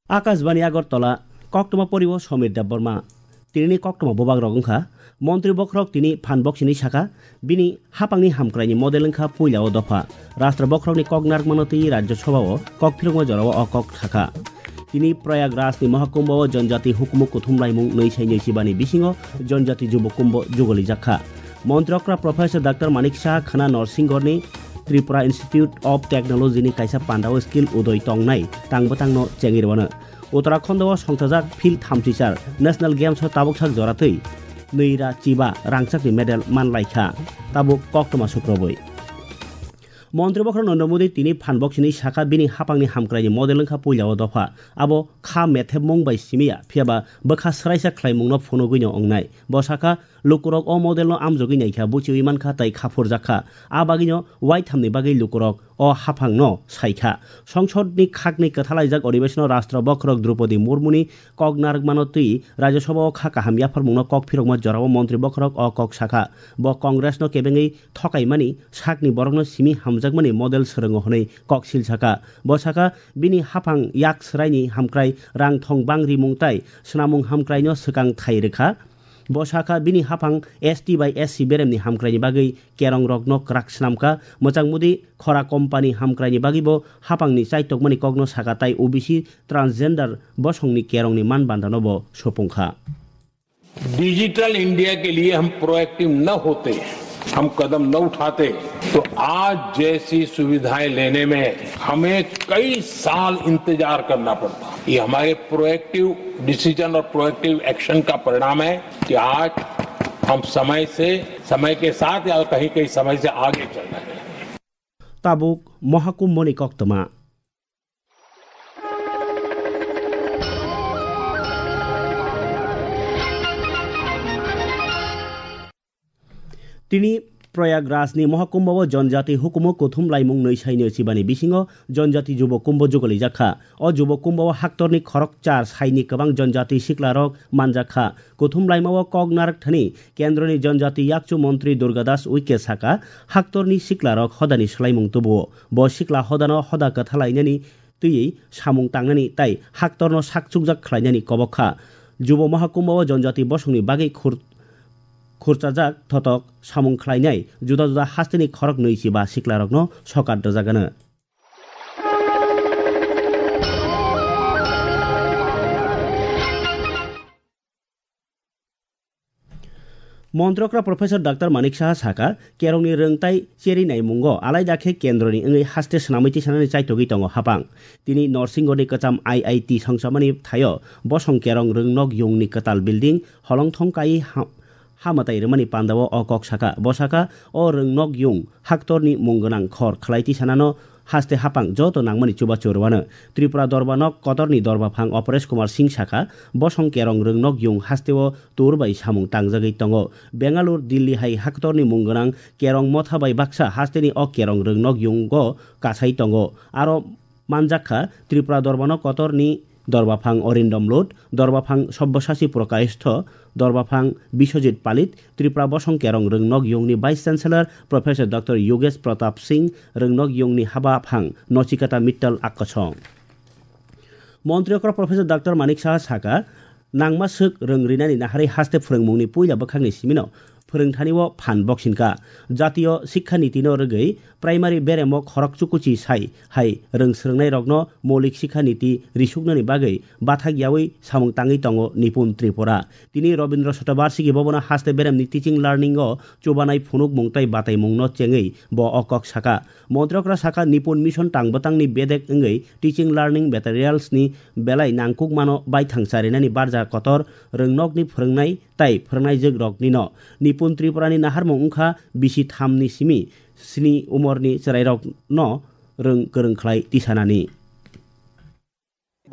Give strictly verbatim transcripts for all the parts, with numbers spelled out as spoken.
Akashbani Agartala, koktwma poriwo Somir Debbarma. Tinini koktwma bubagrok wngkha, Montri bokhorok tini phan boksini sakha, bini hapangni hamkraini model wngkha puilao dopha. Rashtra bokhorokni kok narwkmano twi Rajya Sabhao kok phirokma jorao o kok sakha. Tini Prayagrajni Mahakumbhao Janjati hukumu kuthum laimung nwi sai nwi sibani bisingo Janjati Jubo Kumbho jugolijak kha. Montri okra Professor Doctor Manik Saha khwna Norsinggorni Tripura Institute of Technology ni kaisa pandao skill udoi tongnai tang bwtangno chengwi rwano. Uttarakhando o songchajak field thamchichar National Games o tabuk sak jora twi nwi ra chiba rangchakni medal man lai kha. Tabuk koktwma sukrobwi. Montri bokhorok Narendra Modi tini phan boksini sakha bini hapangni hamkraini model wngkha puilao dopha. Abo kha methepmung bai simiya, phiyaba bwkha swraisa khlaimungno phunugwino wngnai. Bo sakha, lukurok o modelno amjogwi naikha, buchiwi mankha tei khaphurjak kha. A bagwino waithamni bagwi lukurok o haphangno saikha. Songsodni khakni kwthalaijak odibeshono Rashtra bokhorok Droupadi Murmuni kok narwkmano twi Rajya Sabhao kha kaham yapharmungno kok phirokma jorao montri bokhorok o kok sakha. Bo Congressno kebengwi thokaimani sakni borokno simi hamjakmani model swrwngo hwnwi kok sil sakha. Bo sakha, bini haphang yak swraini hamkrai rang thong bang rimung tai swnamung hamkraino swkang thai rwkha. Bo sakha, bini haphang S T bai S C beremni hamkraini bagwi kerongrokno kwrak swnamkha. Mwchang Modi khora company hamkraini bagwibo haphangni chaitokmani kokno sakha tai O B C transgender bosongni kerongni man bandano bo supungkha. Digital India के लिए हम प्रोएक्टिव न होते, हम कदम न उठाते, तो आज जैसी सुविधाएं लेने में हमें कई साल इंतजार करना पड़ता। ये हमारे प्रोएक्टिव डिसीजन और प्रोएक्टिव एक्शन का परिणाम है कि आज हम समय से, समय के साथ या कहीं कहीं समय से आगे चल रहे हैं। Tabuk Mahakumbhoni koktwma. Tini Prayagrajni Mahakumbhao Janjati hukumu kuthum laimung nwi saino chibani bisingo Janjati Jubo Kumbho jugolijak kha. O Jubo Kumbhao haktorni khorok char saini kwbang Janjati siklarok manjak kha. Kuthum laimao kok narwk thani Kendroni Janjati Yakchu Montri Durga Das Uike saka, haktorni siklarok hodani swlaimung tubuo. Bo sikla hodano hoda kwthalainani twiwi samung tangnani tai haktorno sak chukjak khlainani kobok kha. Jubo Mahakumbhao Janjati bosongni bagwi khur-, khurchajak thotok samung khlainai juda juda hasteni khorok nwi chiba siklarokno sokat rwjagano. Montrokra Professor Doctor Manik Saha saka, kerongni rwng tai cheri naimungo alaida khe kendroni wngwi haste swnamwi tisanani chaitogwi tongo hapang. Tini Norsingorni kwcham I I T songchamani thaio bosong kerong rwng nok yungni kwtal building holongthong kaiwi ha-, ha mwtai rwmani pandao o kok saka. Bo saka, o rwng nok yung haktorni mung gwnang khor khlai tisanano haste hapang joto nangmani chubachu rwano. Tripura Dorba nok kotorni dorbaphang Aparesh Kumar Singh saka, bosong kerong rwng nok yung hasteo tur bai samung tangjagwi tongo. Bengaluru, Delhi hai haktorni mung gwnang kerong motha bai baksa hasteni o kerong rwng nok yungo kasai tongo. Aro manjak kha Tripura Dorba nok kotorni dorbaphang Arindam Lut, dorbaphang Sabyasachi Prakayastho, dorbaphang Biswajit Palit, Tripura bosong kerong rwng nok yungni Vice Chancellor Professor Doctor Yogesh Pratap Singh, rwng nok yungni habaphang Nachiketa Mittal Akkosong. Montri okra Professor Doctor Manik Saha saka, nangma swk rwng rinani naharwi haste phwrwngmungni puila bwkhakni simino phwrwngthani o phan boksinka. Jatiyo Sikha Niti no rwgwi primary beremo khorok chukuchi sai hai rwng swrwngnairokno moulik sikha niti risuknani bagwi bathak yaui samung tangwi tongo Nipun Tripura. Tini Rabindra Shatabarshiki Bhavan o haste beremni teaching learning o chubanai phunukmung tei bataimungno chengwi bo o kok saka. Montrokra saka Nipun Mission tang bwtangni bedek wngwi teaching learning materials ni belai nangkukmano baithang charinani barja kotor rwngnokni phwrwngnai tai phwrwngnaijwk roknino. Nipun Tripurani naharmung wngkha bisi thamni simi sni umorni chwrairokno rwng kwrwng khlai tisanani.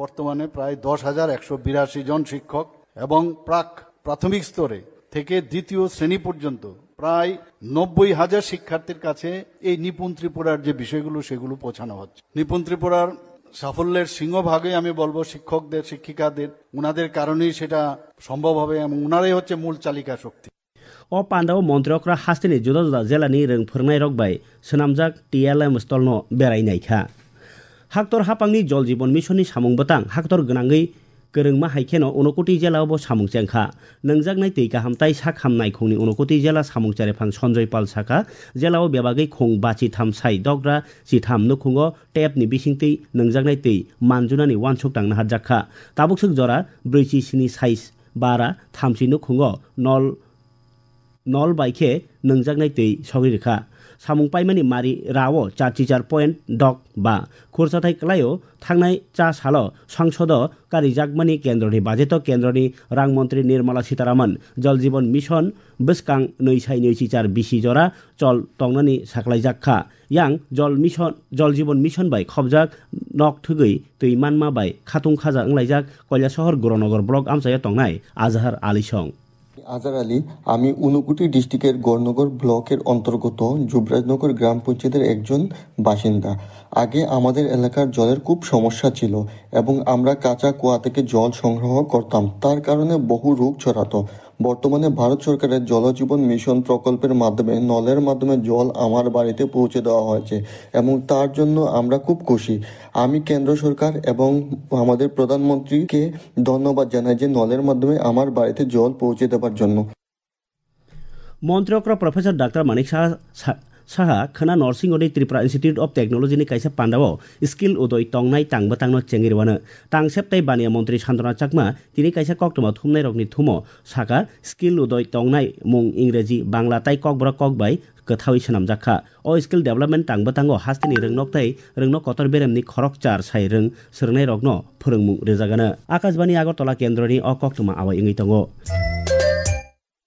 বর্তমানে প্রায় দশ হাজার একশো বিরাশি জন শিক্ষক এবং প্রাক প্রাথমিক স্তরে থেকে দ্বিতীয় শ্রেণী পর্যন্ত প্রায় নব্বই হাজার শিক্ষার্থীর কাছে এই নিপুণ ত্রিপুরার যে বিষয়গুলো, সেগুলো পৌঁছানো হচ্ছে। নিপুণ ত্রিপুরার সাফল্যের সিংহভাগই আমি বলবো শিক্ষকদের, শিক্ষিকাদের, ওনাদের কারণেই সেটা সম্ভব হবে এবং ওনারাই হচ্ছে মূল চালিকা শক্তি। O pandao montrokra hasteni juda juda jelani rwng phwrwngnairok bai swnamjak T L M stolno berai naikha. Haktor hapangni Jol Jeevan Mission ni samung bwtang haktor gwnangwi kwrwngma hai kheno Unakoti jela o bo samung chengkha. Nwngjaknai twi kaham tai sak ham naikhungni Unakoti jela samung cherephang Sanjoy Pal sakha, jela o bebagwi khung bachi tham sai dogra chitham nukhungo tap ni bisingtwi nwngjaknai twi manjunani uansuk tang naharjakha. Tabukswk jora brwichi sini sai bara thamchi nukhungo nol nol bai khe nwngjaknai twi sogwi rwkha. Samung paimani mari rao char chichar point dok ba khurchathai kwlaio. Thangnai cha salo songsodo karijakmani kendroni bajeto kendroni rang montri Nirmala Sitharaman Jal Jeevan Mission bwskang nwi sai nwi chichar bisi jora chol tongnani saklaijak kha. Yang Jal Mission, Jal Jeevan Mission bai khobjak nok thwgwi twi manma bai khatung khaja wnglaijak Kailashahar Gornogar block amchaio tongnai Azhar Ali song. আজার আলী, আমি ঊনকোটি ডিস্ট্রিক্টের গড়নগর ব্লকের অন্তর্গত যুবরাজনগর গ্রাম পঞ্চায়েতের একজন বাসিন্দা। আগে আমাদের এলাকার জলের খুব সমস্যা ছিল এবং আমরা কাঁচা কুয়া থেকে জল সংগ্রহ করতাম, তার কারণে বহু রোগ ছড়াতো। বর্তমানে ভারত সরকারের জলজীবন মিশন প্রকল্পের মাধ্যমে নলের মাধ্যমে জল আমার বাড়িতে পৌঁছে দেওয়া হয়েছে এবং তার জন্য আমরা খুব খুশি। আমি কেন্দ্র সরকার এবং আমাদের প্রধানমন্ত্রীকে ধন্যবাদ জানাই যে নলের মাধ্যমে আমার বাড়িতে জল পৌঁছে দেওয়ার জন্য। Montri okra Professor Doctor Manik Saha, Sa-, Saha khwna Norsingoni Tripura Institute of Technology ni kaisa pandao Skill Udoy tongnai tang bwtangno chengwi rwano. Tangsep tei baniya montri Santana Chakma tini kaisa koktwma thumnairokni thumo saka, Skill Udoy tongnai mung Ingreji, Bangla tei Kokborok kok bai kwthawi swnamjak kha. O skill development tang bwtango hasteni rwngnok tei rwngnok kotor beremni khorok char sai rwng swrwngnairokno phwrwngmung rwjagano. Akashbani Agartala kendroni o koktwma awai wngwi tongo.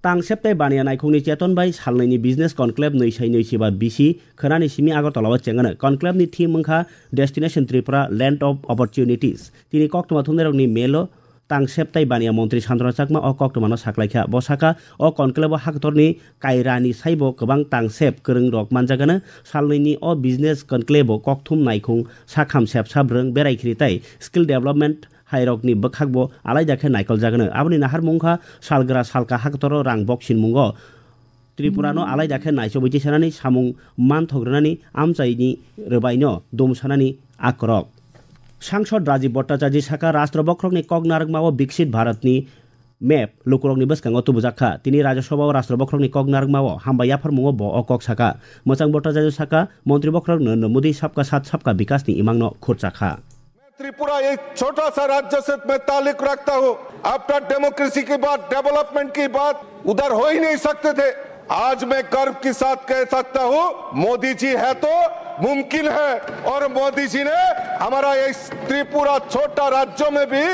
Tangsep tei baniya naikhungni cheton bai salnwini business conclave nwi sai nwi chiba bisi khwnani simi Agartala o chengano. Conclave ni theme wngkha Destination Tripura, Land of Opportunities. Tini koktwma thumnairokni melo Tangsep tei baniya montri Santana Chakma o koktwmano saklaikha. Bo sakha, o conclave o haktorni kairani saibo kwbang tangsep kwrwngrok manjagano. Salnwini o business conclave o kokthum naikhung sakham sepsa bwrwng berai khiri tei skill development hairokni bwkhakbo alaida khe naikoljagnw. Aboni naharmung wngkha salgra salka haktoro rang boksinmungo Tripurano alaida khe naichobwi tisanani samung manthok rwnani amchaini rwbaino dumsanani akorok. Sangsod Rajiv Bhattacharya sakha, Rashtra bokhorokni kok narwkmao Viksit Bharatni map lukurokni bwskango tubujak kha. Tini Rajya Sabhao Rashtra bokhorokni kok narwkmao hambai yapharmungo bo o kok sakha. Mwchang Bhattacharya sakha, Montri bokhorok Narendra Modi Sabka Saath Sabka Vikasni imangno khurcha kha. Tripura एक छोटा सा राज्य से मैं ताल्लुक रखता हूँ। After democracy की बात, डेवलपमेंट की बात उधर हो ही नहीं सकते थे। आज मैं गर्व के साथ कह सकता हूँ, मोदी जी है तो मुमकिन है। और मोदी जी ने हमारा इस त्रिपुरा छोटा राज्य में भी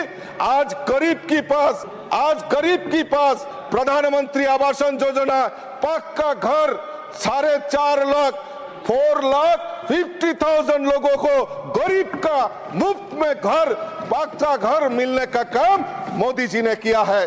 आज गरीब के पास, आज गरीब के पास प्रधानमंत्री आवासन योजना, पक्का घर, साढ़े चार लाख, फ़ोर लाख फ़िफ़्टी थाउज़ेंड लोगों को गरीब का मुफ्त में घर, पक्का घर मिलने का काम मोदी जी ने किया है।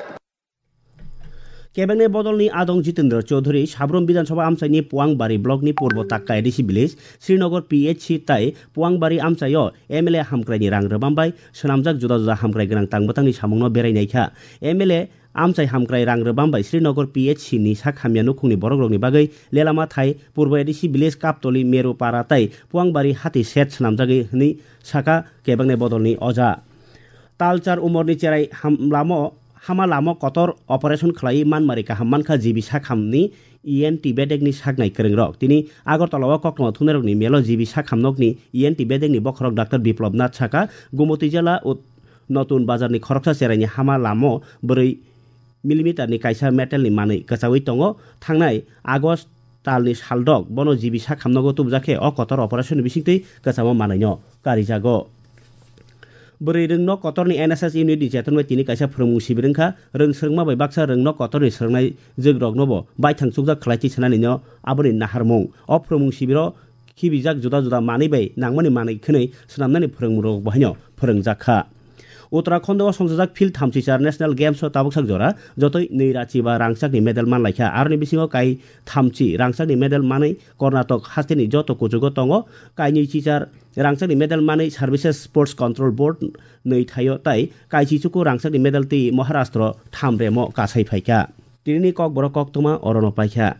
Kebengni bodolni adong Jitendra Chaudhary Sabrum Bidhan Sabha amchaini Puangbari blockni Purbo Takka A D C village, Srinagar P H C tai Puangbari amchaio M L A hamkraini rang rwbam bai swnamjak juda juda hamkrai gwnang tang bwtangni samungno berai naikha. M L A amchai hamkrai rang rwbam bai Srinagar P H C ni sak hamya nukhungni borokrokni bagwi lelama thai Purbo A D C village Kaptoli Meru Para tai Puangbari hati set swnamjagwi hwnwi sakha kebengni bodolni oja. Talchar umorni cherai ham lamo, hama lamo kotor operation khlaiwi manmari kaham mankha G B sakhamni E N T bedekni saknai kwrwngrok. Tini Agartala o koktwma thumnairokni melo G B sakhamnokni E N T bedekni bokhorok Doctor Biplab Nath sakha, Gumoti jela Ut-, Notun Bazarni khoroksa cheraini hama lamo bwrwi millimeterni kaisa metalni manwi kwchaui tongo. Thangnai August talni saldok bono G B sakhamnogo tubujak khe o kotor operation bisingtwi kwchamo manwino karijago. Bwrwi rwngno kotorni N S S unit ni cheton bai tini kaisa phwrwngmung sibir wngkha. Rwng swrwngma bai baksa rwngno kotorni swrwngnai jwkroknobo baithang chukjak khlai twi sanani no aboni naharmung. O phwrwngmung sibiro khibijak juda juda manwi bai nangmani manwi khwnwi swnamnani phwrwngmungrok bo haino phwrwngjak kha. Uttarakhand o songchajak field thamchi char National Games o tabuksak jora jotoi nwi rachi ba rangchakni medal manlaikha. Aroni bisingo kai thamchi rangchakni medal manwi Karnataka hasteni joto kuchugo tongo. Kainwi chichar rangchakni medal manwi Services Sports Control Board nwi thaio tai kaichi chuku rangchakni medal twi Maharashtra thamremo kasai phaikha. Tinini kokborok koktwma orono paikha.